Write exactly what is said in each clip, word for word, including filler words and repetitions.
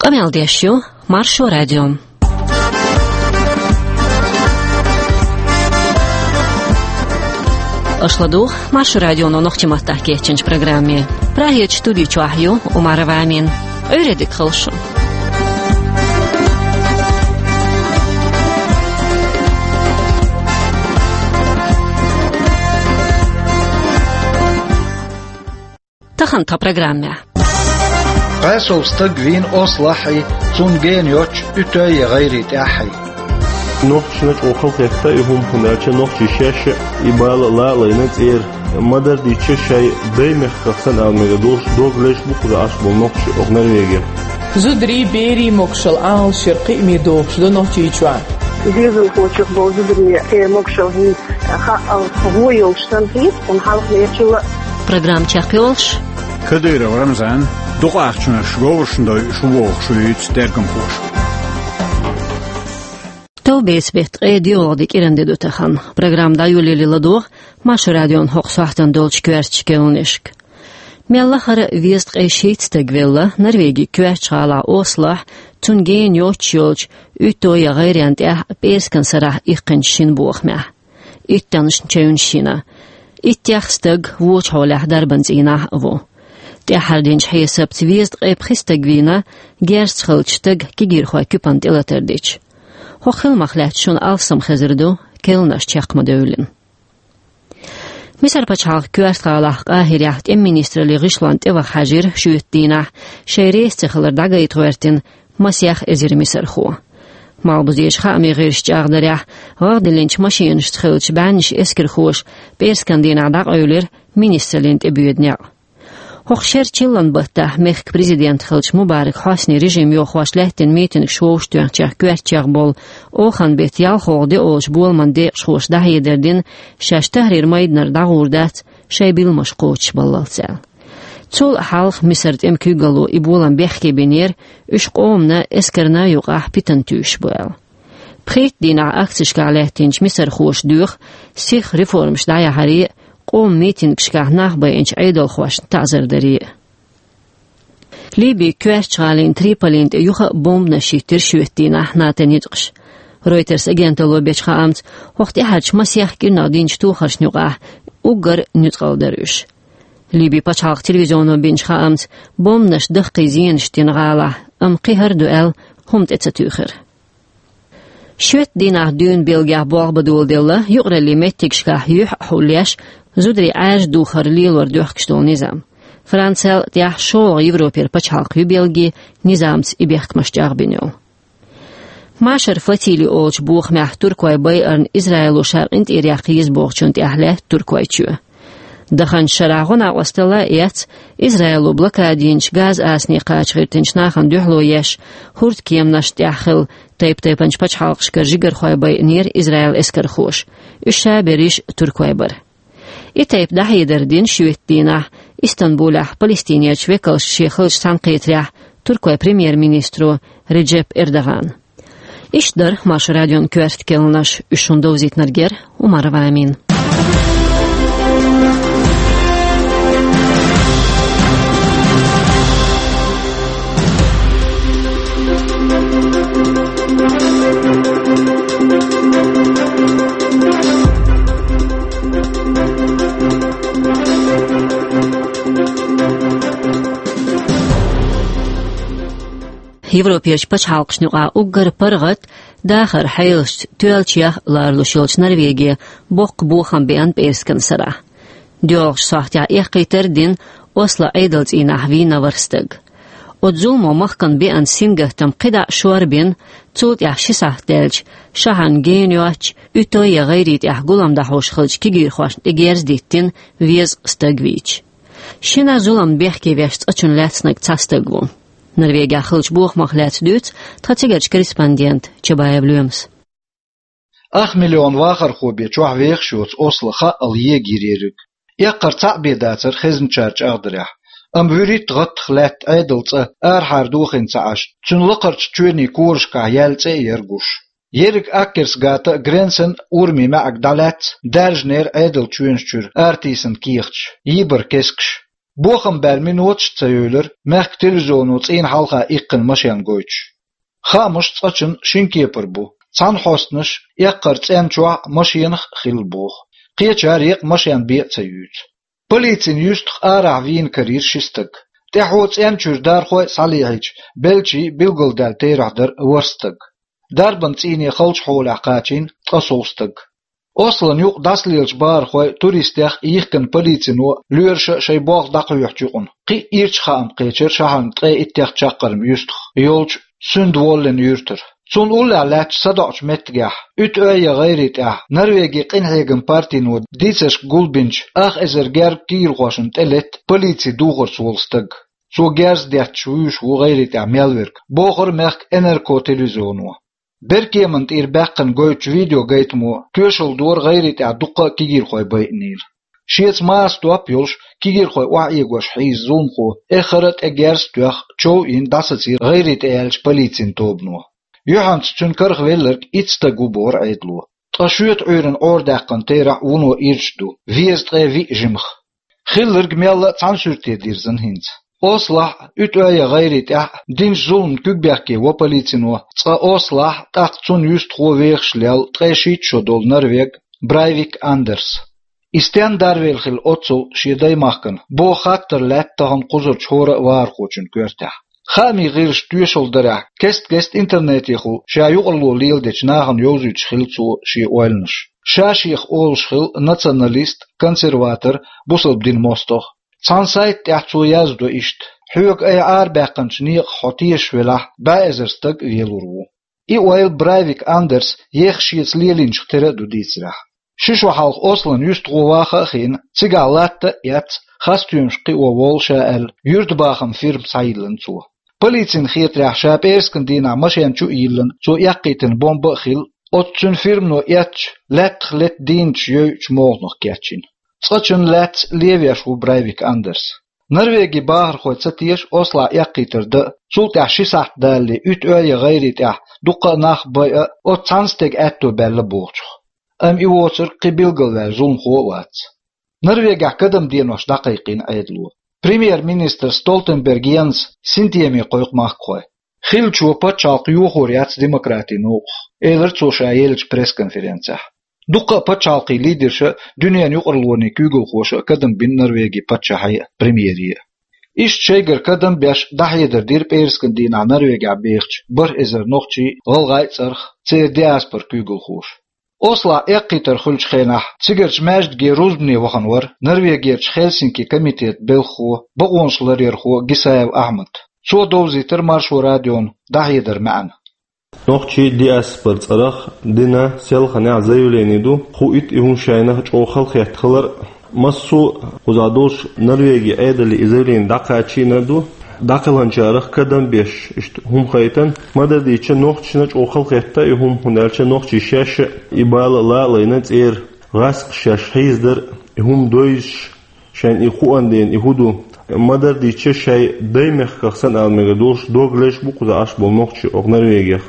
Къамел деш ю Маршо радио. Аша ладугӀу Маршо радионо нохчийн маттахь кечйинчу программе. Прагерчу студи чохь ю Умарова Амина. Ӏуьйре дика хуьлда шун. Тахана тхан программехь. Къасов стаг вийна ослахь, цунна гена йоцчу уьтой я гӀайре тӀехь. Нохчашна чӀогӀа хала хетта и хӀума, хӀунда аьлча нохчий шаьш а и бала а лалайна цӀера. Ма-дарра дийцича, шайн даймехках санна ала мегар долуш, дог леш бу кхуза Ӏаш болу нохчий оха Норвегехь. Зударий, берийн могушалла Ӏалашъяр кхиаме догӀуш ду Нохчийчохь. Доьзалхочух болу зударий, церан могушалла хӀинца хаъал гӀо йолуш санна хета, хӀунда хьалха лечула. Программа чекхйолуш. Кадыров Рамзан дукха ахчанаш говрашна дойуш ву бохуш вуьйцу тергамхоша. Товбеца беттан ткъе доьалгӀа де кӀиран де ду тахана. Программа дӀайолале ладогӀа Маршо радион хӀокху сохьтана долчу коьртачу керланашка. Мел лахара везткъе шийтта стаг велла Норвегин коьртачу гӀалахь ослахь, цунна гена йоцуш йолчу уьтой я гӀайренна тӀехь пӀераскан сарахь иккхинчу шина бохамехь. Иттаннаш чевнаш йина. Иттех стаг вочу хьолехь дарбан цӀийнахь а ву. ТӀаьххьара динчу хьесапца везткъе пхи стаг вийна, герзаца хиллачу стага кегийрхойн куьпанна тӀелатар дича. ХӀокху хиламах лаьцна шуна алссам хезар ду, керланаш чекх ма-девллина. Мисар пачхьалкхан коьрта гӀалахь Къахьирехь тӀеман министраллин гӀишлонна тӀеваха хьаьжира шоьтан дийнахь, шайн реза ца хилар дӀагайта гӀоьртина масех эзар мисархо. Малхбузерчу хаамийн гӀирсаша чӀагӀдарехь, гӀагӀ диллинчу машинашца хиллачу бӀеннаш эскархоша пӀераскан дийнахь дӀакъевлира министраллин тӀебоьду некъ. ХӀокху шеран чиллан баттахь мехкан президент хиллачу Мубарак Хьоснин режим йохош лаьттина митингаш вовшахтоьхначех коьртачех болу оханан беттан ялхолгӀа де олучу боламан декъашхоша дӀахьедар дина, шаьш Тахьрир майданара дӀагӀур дац шайн билламаш кхочушбаллалц аьлла. Цул а хьалха Мисар тӀеман куьйгалло и болам бехке бинера, уьш къомана, эскарна а юкъахь питана туьйсуш бу аьлла. Пхийтта дийнахь акцешкахь лаьттинчу мисархоша доьху сиха реформаш дӀаяхьаре а, къоман митингашкахь нах байинчу Ӏедалхошна таӀзар даре а. Ливин коьртачу гӀалин Триполин тӀе юха а бомбанаш йиттира шоьтан дийнахь НАТО-н ницкъаша. Reuters агенталло бечу хаамца, хӀокху тӀаьхьарчу масех кӀирнах динчу тохаршна юкъахь уггар нуьцкъала дара уьш. Ливин пачхьалкхан телевизионо бинчу хаамца, бомбанаш даккхий зенаш дина гӀалахь, амма кхин хӀара ду аьлла, хӀума тӀе ца туьйхира. Шоьтан дийнахь дуьйна Бельгехь болх бан доладелла юкъараллин меттигашкахь юьхь а хьулъеш, зударийн Ӏаьржа духар лелор доьхкуш долу низам. Францел а, тӀехь шолгӀа Европера пачхьалкх ю Бельги низамца и бехкамаш чӀагӀбина йолу. Машар флотили олучу бохамехь туркойн байарна Израило ша къинтӀера яккха еза бохучунна тӀехь лаьтта Туркойчоь. Даханчу шарахь гӀо-накъосталла а эцна, Израило блокада йинчу Газа асане кхача гӀиртинчу нахана дуьхьало еш, хӀордкеманашна тӀехь хилла, тайп-тайпанчу пачхьалкхашкара жигархой байинера Израилан эскархоша. Уьш ша берриш туркой бара. И тайпа дӀахьедар дина шоьтан дийнахь Истанбулехь Палестинерчу векалшна шен хиллачу цхьаьнакхетарехь туркойн премьер-министро Реджеп Эрдогана. Иштта дара Маршо радион коьрта керланаш, уьш шуна довзийтинарг яра Умарова Амина. Европерчу пачхьалкхашна юкъахь уггар паргӀат, дахаран хьелашца тоьллачех а ларалуш йолчу Норвеге боккха бохам беана пӀераскан сарахь. ДоьалгӀачу сохьтехь эккхийтар а дина, Осло Ӏедалан цӀийнахь вийна ворхӀ стаг. Оцу зуламо махкана беана сингаттам кхидӀа а шорбина, цул тӀаьхьа ши сахьт даьлча, шахьарна гена йоцчу, уьтой я гӀайре тӀехь гулам дӀахьош хиллачу кегийрхошна тӀе герз диттина, везткъа стаг вийча. Шина зулам бехке веш цкъачунна лаьцнарг цхьа стаг ву. Норвегехь хиллачу бохамах лаьцна дуьйцу тхан цигарчу корреспондента Чабаев Лоьмас. Ах миллион вахархо бен чохь вехаш йоцу Осло хаъал егийра ерриг. Эккхар цхьаъ бен дацара хезначара чӀагӀдарехь, амма вуьрхӀитта гӀаттах лаьтта Ӏедалан цӀа арахьара дохийна ца Ӏаш, цуьнан лакхарчу чоьнийн корашкахь яьлла цӀе а яра гуш. Ерриг Аккерсгата а, Гренсен а урамийн маьӀиг дӀалаьцна, даьржинера Ӏедалан чоьнаш чуьра аратийсанан кехаташ, йийбара кескаш. Бохам баьлла миноташ а ца йовлар мехка телевизионо цӀийнан хьалха иккхина машен гойтуш. Хаамаш цкъачунна шин кепара бу. Цхьана хьостанаш эккхар цӀен чохь машенах а хилла боху. Кхечара еккъа машен бен а ца юьйцу. Полицин юьстах арахь вийна карийра ши стаг. ТӀаьхьо цӀен чуьра дархой а схьалехьийча, белчий билгалдаьлла терахь дара ворхӀ стаг. Дарбан цӀийне халчу хьолехь кхачийна ткъа сов стаг. Ослан юкъа дӀасалелачу бахархой, туристех а, йихкина полицино а лоьраша а шайн болх дӀакхоьхьучу юкъана, кхин а ирча хаам кхечира шахьарна ткъе иттех чаккхарма юьстах йолчу Сундволлен юьртара. Цунна уллехь лаьттачу садоӀучу меттигехь, Уьт-Ойя гӀайре тӀехь, Норвегин къинхьегаман партино дийцаршка гулбинчу ах эзар герга кегийрхошна тӀелетта полицин духарца волу стаг. Цо герз детташ вуьйш ву гӀайре тӀехь мел верг, бохура мехкан Н Р К телевизионо. Беркеманна тӀера баьккхина гойтучу видеогайтамо тоьшалла дора гӀайре тӀехь дуккха а кегийрхой байинийла. Шеца маса доп а йолуш, кегийрхой охьаэгош хьийза зуламхо, эххар а тӀе герз а тоьхна, чов а йина, дӀасацийра гӀайре тӀе яьллачу полицин тобано. Юьхьанца цуьнан карахвелларг итт стаг ву бохура Ӏедало. Ткъа шоьтан Ӏуьйранна Ӏорадаьккхина терахь вуно ирча ду, везткъе виъ жимах. Хилларг мелла а цхьана суьрте дирзина хӀинца. Ослахь а, Уьт-Ойя гӀайре тӀехь а динчу зуламна куьгбехке во полицино цкъа Ослахь а, тӀаккха цунна юьстахо вехаш лелла ткъе шийтта шо долу норвег Брайвик Андерс. И стенна дарвелла хилла оццул шен даймахкана, боху хаттар лаьтта тахана кхузарчу хӀора а вахархочун коьртехь. Хаамийн гӀирсаша тоьшалла дарехь, кест-кеста интернетехула ша юкъарло леладечу нахана йовзуьйтуш хилла цо шен ойланаш. Ша шех олуш хилла националист, консерватор, бусалба динан мостагӀа. Цхьана сайта тӀехь цо яздо иштта: «Хьоьга айхьа арабаьккхинчу некъах хьо тешаш велахь, бӀе эзар стаг а велур ву». И ойла Брайвик Андерс еха шеца лелийначух тера а ду дийцарехь. Ши шо хьалха Ослан юьстахо ваха а хиъна, цигахь латта а эцна, хасстоьмаш кхио волу ша аьлла, юьртабахаман фирма схьайиллина цо. Полицина хетарехь, ша пӀераскан дийнахь машен чу а йиллина, цо эккхийтина бомба а хилла, оцу цуьнан фирмано эцначу лаьттах летта дийначу йойучу молханах кечйина. Цкъачунна лаьцна левеш ву Брайвик Андерс. Норвегин бахархой ца теша Ослахь эккхийтар дан а, цул тӀаьхьа ши сахьт далале Уьт-Ойя гӀайре тӀехь дуккха а нах байъа а, оцу цхьана стеган аьтто баьлла бохучух. Амма и воцург кхин билгалваьлла зуламхо а вац. Норвегехь кадам денош дӀакхайкхийна Ӏедало. Премьер-министр Столтенберг Йенс синтеме кхойкху махкахой. Хиллачо пачхьалкх йохор яц демократийн новкъах, элира цо ша еллачу пресс-конференцехь. Дуккха а пачхьалкхийн лидерша а, дуьненан юкъарлонийн куьйгалхоша а кадам бина Норвегин паччахье а, премьере а. Иштта шайгара кадам беш дӀахьедар дира пӀераскан дийнахь Норвегехь бехачу бархӀ эзар нохчий, гӀалгӀай а, цӀарах, церан диаспоран куьйгалхоша. Ослахь эккхийтар хуьлучу хенахь цигарчу маьждиге рузбане вахана вара Норвегерчу Хельсинки комитетан белхахо, бакъонаш ларъярхо Гисаев Ахьмад. Цо довзийтира Маршо радиона дӀахьедар маьӀна. Нохчийн диаспоран цӀарах дина селханехь заявлени ду, хуийту и хӀума шайна чӀогӀа халахетта хилар а. Массо а кхузахь долуш Норвегин Ӏедале и заявлени дӀакхачийна а ду, дӀакхелхинчарах кадам беш иштта хӀума хайтина. Ма-дарра дийцича, нохчашна чӀогӀа халахетта и хӀума, хӀунда аьлча нохчий шаьш а и бала а лайна цӀера, гӀаскхий шаьш хьийзадар а, и хӀума довзуш, шайна и хууш дерг и хӀун ду. Ма-дарра дийцича, шайн даймехках санна ала мегар долуш дог леш бу кхузахь Ӏаш болу нохчий окху Норвегех.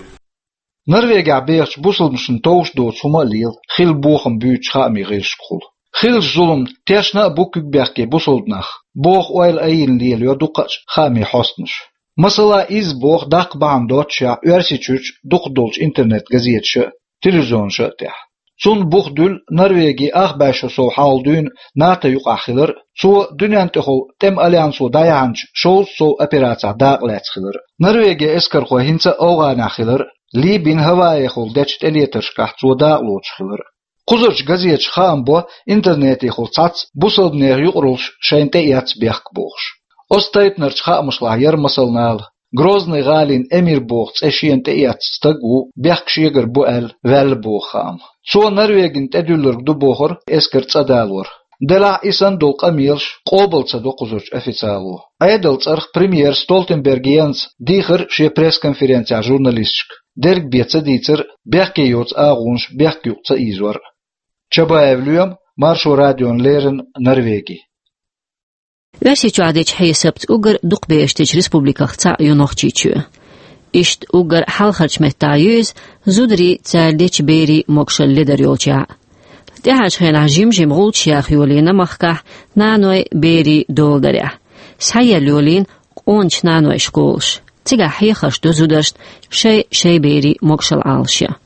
Норвегехь бехачу бусалбанашна товш доцу хӀума а лела, хилла бохам буьйцучу хаамийн гӀирсашкахула. Хиллачу зуламна тешна а бу куьгбехке бусалба нах, боху ойла айина лелайо дукхачу хаамийн хьостанаша. Масала, изза боху даккха бахьана доццушехь Оьрсийчуьрчу дукхах долчу интернет-газеташа а, телевизионаша а тӀехь. Цунна бух дуьллу Норвегин ах бӀе шо сов хьалха дуьйна НАТО юкъахь хилар а, цо дуьнен тӀехула тӀеман альянсо дӀаяьхьначу шовзткъа сов операцехь дакъалаьцна хилар а, Норвегин эскархой хӀинца а АфгӀанехь хилар а, Ливин Гавайехула дечу тӀелетаршкахь цо дакъа лоцуш хилар а. Кхузарчу газеташа хаам бо интернетехула цхьацца бусалба нехан юкъараллаш шайна тӀеэцна бехк бохуш. Оцу тайпанарчу хаамашлахь яра масалнала, Грозный гӀалин эмир боху цӀе шена тӀеэцна стаг а ву, бехк шегара бу аьлла, ваьлла боху хаам. Цо Норвегина тӀедуьллург ду бохура эскар цӀа далор. Делахь а и санна долу къамелаш къобал ца до кхузарчу официало. Ӏедалан цӀарах премьер Столтенберг Йенс дийхира шен пресс-конференцехь журналисташка, дерг бен ца дийцар а, бехке йоцу агӀонаш бехк юкъа ца ийзор а. Чабаев Лоьма, Маршо радиона леррина, Норвеги. Оьрсийчохь дечу хьесапца уггар дукхахберш дечу республикех цхьаъ ю Нохчийчоь. Иштта уггар хьалхарчу меттехь ю иза зударийн, цара дечу берийн могушалла ледар йолчохь. ТӀаьхьарчу хенахь жим-жима гӀулчаш яха йолийна махкахь наной, берийн доладарехь. схьаелла йолийна къоначу нанойн школаш. Цигахь хьехарш ду зударшна шай-шай берийн могашалла Ӏалашъян.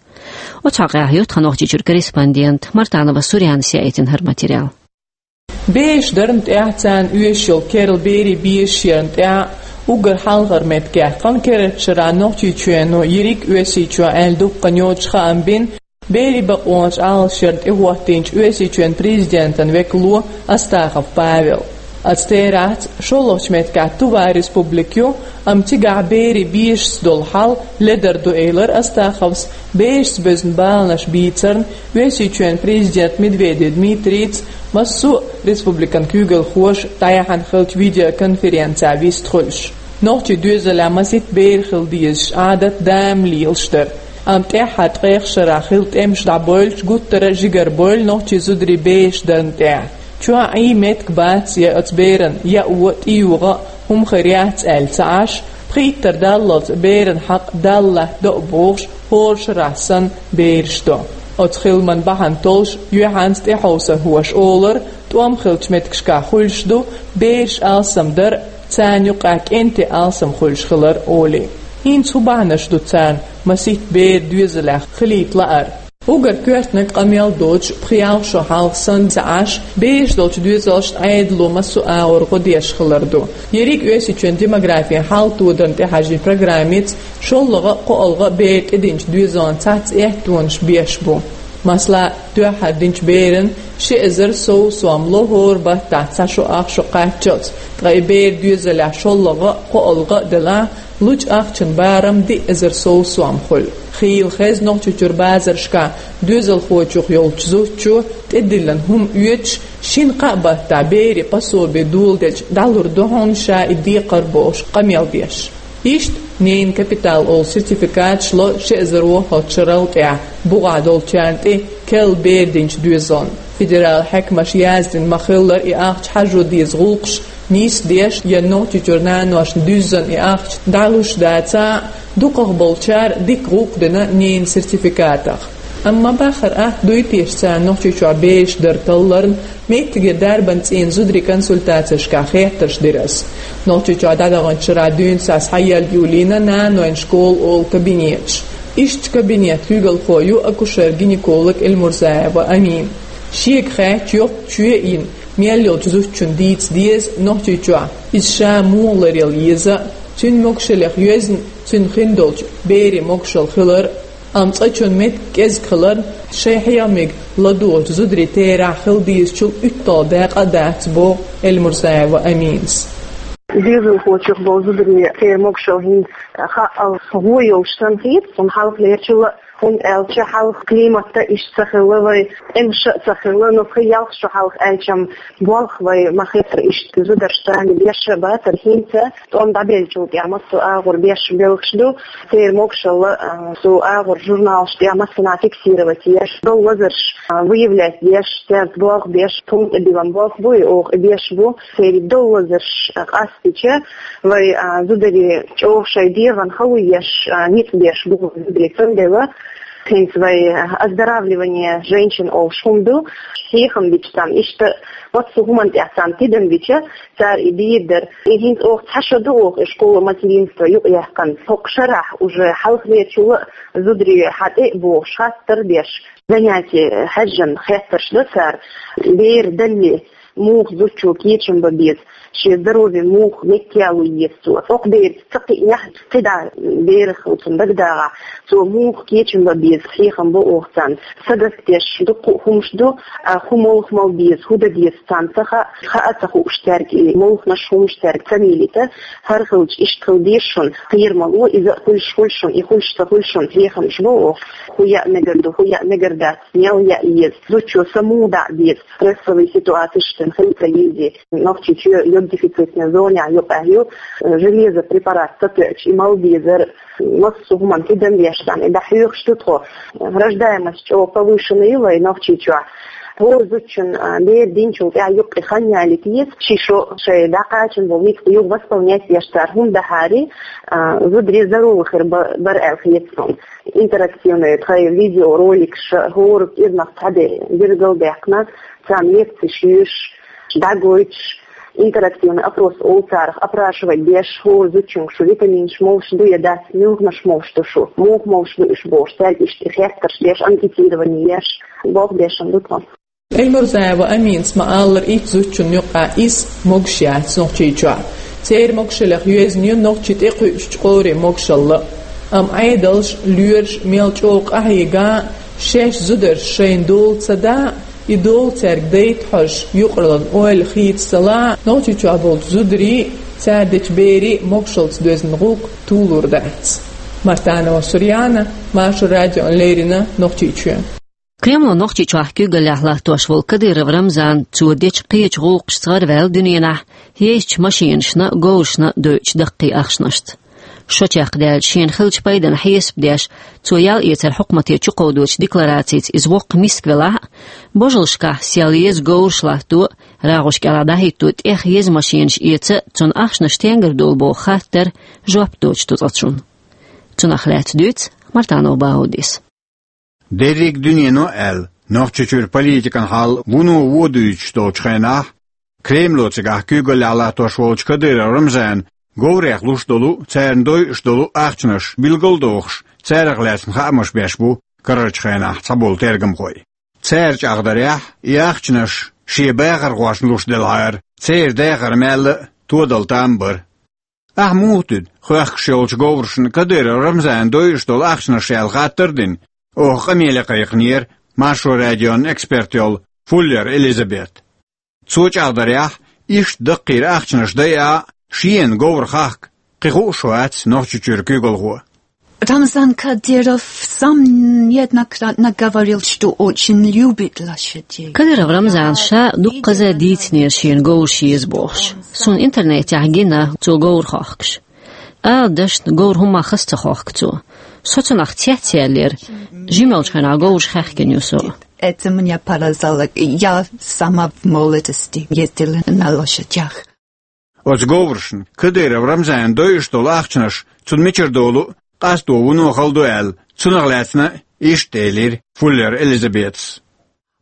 Оцу хьокъехь ю тхан Нохчийчуьра корреспондент Мартанова Сурьянас яийтина хӀара материал. Бераш дарна тӀехь, царна оьшуш йолу керла берийн безаш ярна тӀехь, уггар хьалхара меттигехь, кхана керла шарахь Нохчийчоьно ерриг а Оьрсийчоь аьлла дуккха йоцуш хаам бина берийн бакъонаш Ӏалашъярна тӀехӀоттийначу Оьрсийчоьнан президентан векало Астахов Павел. Оцу терахьца шолгӀачу меттигехь Тува республика ю, амма цигахь берийн безашца долу хьал ледар ду, элира Астаховс. Берашца боьзна баланаш бийцарна Оьрсийчоьнан президента Медведев Дмитрийца массо а республикан куьйгалхоша дӀаяьхьна хиллачу видеоконференцехь вистхуьлуш. Нохчийн доьзалехь масийтта бер хила дезаш Ӏадат дама лелаш дара. Амма тӀаьххьара ткъех шарахь хилла тӀемаш дӀабевлча, гуттара а жигара бевлла нохчийн зударий бераш дарна тӀехь. Чохь Ӏен меттиг бац я оцу беран яо а, тӀеюхьа а хӀума хир яц аьлла ца Ӏаш, пхийттара даллалц беран хьакъ Далла латтадо а бохуш, хӀора шарахь санна бераш до. Оцу хиламан бахьана толлуш юьхьанца тӀехьовсархоша олура, тӀом хиллачу меттигашкахь хуьлуш ду бераш алсам дар а, царна юкъахь кӀентий алсам хуьлуш хилар а олий. ХӀинца хӀун бахьанаш ду царна масийтта бер доьзалехь хилийта лаьара? Уггар коьртаниг къамел доцуш пхи-ялх шо хьалха санна ца Ӏаш, бераш долчу доьзалшна Ӏедало массо а агӀор гӀо деш хилар ду. Ерриг а Оьрсийчоьнан демографин хьал тодарна тӀехьаьжначу программица шолгӀа а, кхоалгӀа а бер тӀединчу доьзална цхьацца эттонаш беш бу. Масала, дуьххьара динчу беран ши эзар сов сом ло хӀора баттахь цхьа шо, ах шо кхаччалц, ткъа и бер доьзалехь шолгӀа а, кхоалгӀа а делахь, лучу ахчан барам диъ эзар сов сом хуьлу. Хийла хеза Нохчийчуьра базаршкахь доьзалхочух йолчу зудчо тӀедиллина хӀума оьцуш, шина-кхаа баттахь берийн пособи доладелча дӀалур ду хьуна ша и декхар бохуш къамел деш. Иштта ненан капитал олу сертификаташ ло ши эзар ворхӀалгӀачу шарал тӀехь бухахь долчарна тӀе керла бер динчу доьзална. Федералан хьаькамаша яздина ма-хиллара, и ахча хьажо деза гӀуллакхаш нисдеш я Нохчийчуьра наношна дуьззина и ахча дӀалуш дацахь а, дукхах болчара дика гӀуллакх дина ненан сертификатах. Амма бахара атта дуй теша царна Нохчийчохь бераш дар талларна, меттигера дарбан цӀийнан зударийн консультацешкахь хеттарш дира ас. Нохчийчохь дӀадаханчу шарахь дуьйна схьаелла юлийна нанойн школа олу кабинеташ. Ишттачу кабинетан куьйгалхо ю акушер-гинеколог Эльмурзаева Амина. Шега хаьттича, йоккха чоь а йина, мел йолчу зудчунна дийца деза Нохчийчохь иза ша муха ларъяла еза, цуьнан могушаллех йоьзна цуьнан хин долчу берийн могушалла хилар, амма цкъачунна меттиг кӀезиг хиларна, шайн хьехамиг ладугӀучу зударийн терахь хила дезачул уьтталгӀа дакъа а дац, боху Эльмурзаева Аминас. Доьзалхочух болу зударийн церан могушалла хӀинца хаъал гӀо йолуш санна хета, хӀунда хьалхалерчул а, хӀунда аьлча хьалха климат а иштта ца хилла вай, тӀемаш а ца хилла, но пхи-ялх шо хьалха аьлчам болх вай ма-хеттара иштта зударшца беш а бацара, хӀинца тӀом дӀабеллачул тӀаьхьа массо а агӀор беш белхаш ду, церан могушалла, а, цу агӀор журналаш тӀехь массанхьа фиксировать еш, долу лазарш, а, выявлять деш, цаьрца болх беш, пункт тӀедиллина болх бу и оха, и беш бу, церан долу лазарш, а, къастича, вай, а, зударий чӀогӀа шайн дегӀан хало еш, а, ницкъ беш бу зударий, цундела хӀинца вай, а, оздоравливание женщин олуш хӀума ду, хьехам бича царна, иштта массо а хӀуманна тӀехь царна тидам бича, цара и дийр дара. И хӀинца оха цхьа шо ду оха и школа материнства юкъаяьккхина. ХӀокху шарахь уже хьалхалерчул а зударий хьан тӀе а бохуш, хаттар а деш, занятие хьаьжжина хеттарш до цара, бер далле, муха зудчо кечам бан беза, шен здоровье муха меттаяло еза цо. ХӀокху бераца ца кхиънехь, кхидӀа берах цунна дагадагӀахь, цо муха кечам бан беза, хьехам бо оха царна. Сагаскдеш дуккха а хӀумаш ду, а, хӀун молха мала беза, хӀун дан деза царна ца хаьа, хаа ца хууш цаьрга и молханаш, хӀумаш цаьрга ца мийлийта, хӀара хилча иштта хила деза шуна, кхера ма ло, иза а хуьлуш хуьлу шуна, и хуьлуш ца хуьлу шуна, хьехамаш бо оха, хӀун яа мегар ду, хӀун яа мегар дац, мел яа еза, зудчо са муха дӀа а беза, стрессовый ситуацеш цуьнан хила ца езий, Нохчийчоь йододефицитный зонехь юкъахь ю, железо препарат ца тоьуча, и мала безар, массо а хӀуманна тидам беш царна, и дӀахьоьхуш ду тхо. Рождаемость чӀогӀа повышенная ю вай Нохчийчохь. ХӀора зудчун, а, бер динчул тӀаьхьа юккъе хан ялийта еза, ши шо шайн дӀакхачийна болу ницкъ юха восполнять деш цара хӀума дахьари, а, зударий здоровый хир ба-, бара аьлла хета суна. Интерактивный тхайн видеороликаш, хӀора кӀирнах цхьаьна билгалдаьккхина, царна лекцеш йоьшуш, дӀагойтуш, Интерактивный опрос олу царах, опрашивать деш, хӀора зудчуьнга шу витаминаш молуш ду я дац, муьлханаш молуш ду шу, муха молуш ду уьш бохуш, цаьрга иштта хеттарш деш, анкетирование еш, болх беш ду тхо. Эльмурзаева Аминас ма-аллара, итт зудчунна юкъахь исс могуш яц Нохчийчохь. Церан могушаллех йоьзна ю нохчийн тӀекхуьучу къоврийн могушалла. Амма Ӏедалш, лоьраш мел чӀогӀа къахьийга а, шаьш зударша шайна дола ца да а, и дола цаьрга дайта хьожуш, юкъараллин ойла хийца ца ла а, Нохчийчохь болчу зударийн а, цара дечу берийн а могушаллица доьзна гӀуллакх тулур дац. Мартанова Сурьяна, Маршо радиона леррина, Нохчийчоь. Кремло Нохчийчохь куьйгаллехь латтош волу Кадыров Рамзан, цо дечу кхечу гӀуллакхашца гӀараваьлла дуьненахь, езачу машенашна а, говрашна а дойучу даккхий ахчанашца. Шо чекхдаьлча, шена хиллачу пайдана хьесап деш, цо ял эцар хьукмате чукховдочу декларацица иза воккха миска велахь а, божалшкахь сел еза говраш латто а, рагӀуш кӀелахь дӀахӀитто а тӀех еза машенаш эца а, цунна ахчанаш стенгара долу боху хаттар жоп доцуш ду цкъачунна. Цунах лаьцна дуьйцу Мартанов Баудис. Дерриг дуьнено а аьлла, Нохчийчуьра политикан хьал вуно вон дуьйцуш долчу хенахь, Кремло цигахь куьйгаллехь латтош волчу Кадыров Рамзана говрех луш долу, царна дойуш долу ахчанаш билгалдохуш, царах лаьцна хаамаш беш бу карарчу хенахь цхьаболу тергамхой. Цара чӀагӀдарехь, и ахчанаш шен бахархошна луш делахьара, церан дахар мелла а, тодал там бара. Ахьа муха дуьду, хоьхкуш йолчу говрашна Кадыров Рамзана дойуш долу ахчанаш аьлла хаттар а дина, оха къамеле кхайкхинера Маршо радион эксперт йолу Фуллер Элизабет. Цо чӀагӀдарехь, иштта даккхийра ахчанаш дайа а, шена говр хахка кхин хууш вац Нохчийчуьра куьйгалхо. Рамзан Кадыров сам неоднократно говорил, что очень любит лошадей. Кадыров Рамзана ша дуккхаза дийцинера шена говраш еза бохуш. Суна интернетехь гина цо говр хохкуш. Ала дашна, говр хӀумма хаза ца хохку цо. Со цунах цецъяьллера, жимелчу хенахь говраш хаьхкина ю со. Это меня поражало. Я сама в молодости ездила на лошадях. Оцу говрашна Кадыров Рамзана дойуш долу ахчанаш цунна мичара долу а, къасто вуно хала ду аьлла, цунах лаьцна а иштта элира Фуллер Элизабетас.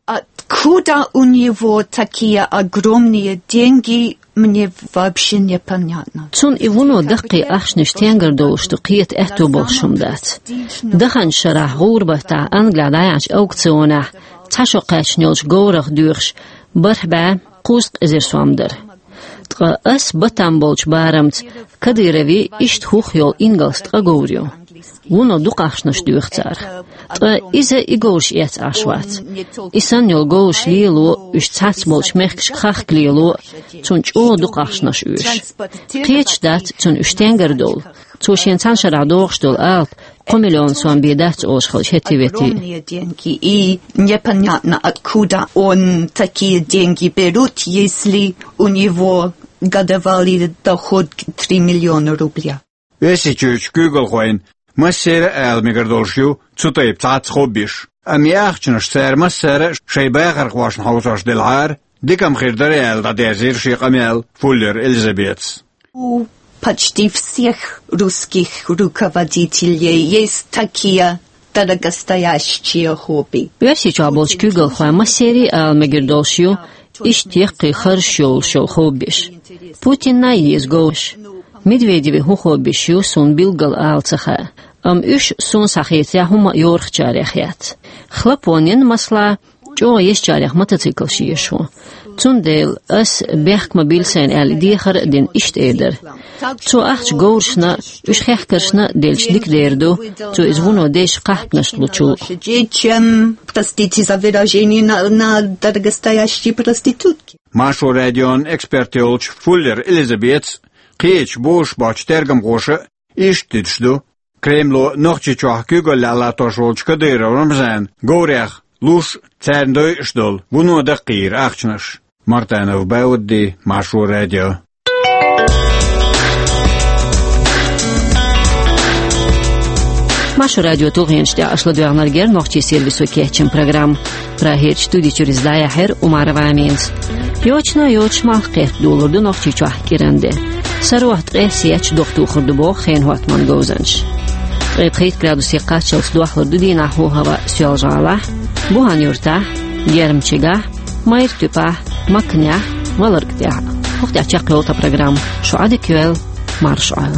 Откуда у него такие огромные деньги, мне вообще непонятно. Цунна и вуно даккхий ахчанаш стенгара долуш ду кхета аьтто болуш хӀума дац. Даханчу шарахь гӀуран баттахь Англехь дӀаяьхьначу аукционехь цхьа шо кхаьчна йолчу говрах доьхуш бархӀ бӀе кхузткъа эзар сом дара. Ткъа ас батам болчу барамца Кадыровн иштта хӀух йолу ингалс ткъа говр ю. Вуно дукха ахчанаш доьху царах. Ткъа иза и говраш эцна Ӏаш вац. И санна йолу говраш лело, уьш цхьацца болчу мехкашка хахка лело, цунна чӀогӀа дукха ахчанаш оьшу. Кхеташ дац цунна уьш стенгара долу. Цо шен цхьана шарахь догӀуш долу алапа кхо миллион сом бен дац олуш хилча хӀетте-ветте. Огромные деньги. И непонятно, откуда он такие деньги берут, если у него годовалый доход три миллиона рубля. Оьрсийчуьрчу куьйгалхойн массеран а ала мегар долуш ю цу тайпа цхьацца хоббиш. Амма и ахчанаш цара массара а шайн бахархошна хьовсош делахьара, дика-м хир дара аьлла дӀадерзийра шен къамел Фуллер Элизабетас. У почти всех русских руководителей есть такие дорогостоящие хобби. Оьрсийчохь болчу куьйгалхойн массеран а ала мегар долуш ю иштта яккхий харжаш йолуш йолу хоббиш. Путинна а еза говраш. Медведевн хӀун хоббиш ю, суна билггал ала ца хаьа. Амма уьш, суна схьахетарехь, хӀумма а йорхачарех яц. Хлопонин, масала, чӀогӀа езачарех мотоциклаш езаш ву. Цундела ас бехк ма билла сайна аьлла, дехар а дина, иштта эр дара. Цо ахча говрашна а, уьш хехкаршна а делча дика дер ду, цо иза вуно дезачу кхахпанашна лучул. Чем, простите за выражение, на, на дорогостоящие проститутки. Маршо радион эксперт йолчу Фуллер Элизабетас, кхечу бозуш боцчу тергамхоша а иштта дуьтуш ду Кремло Нохчийчохь куьйгаллехь латтош волчу Кадыров Рамзана говрех луш, царна дойуш долу вуно даккхийра ахчанаш. Мартанов Баудди, Маршо радио. Маршо радион тулгӀенаш тӀехь аша ладоьгӀнарг яра нохчийн сервисо кечйина программа. Прагерчу студи чуьра иза дӀаяьхьира Умарова Аминас. Йочана а йоцуш, малх кхетта долур ду Нохчийчохь кӀиран де. Сарохь ткъе сеч дохтухур ду боху хенан хӀоттаман говзанчаша. Ткъе пхийтта градусе кхаччалц дохлур ду дийнахь хӀаваъ Соьлжа-ГӀалахь, Бухан-Юртахь, Гермчигахь, Майра-Туьпахь, Макнехь, Валарг тӀехь. Вахтя чакъ ёлта программа. Шуадик юэл, маршуал.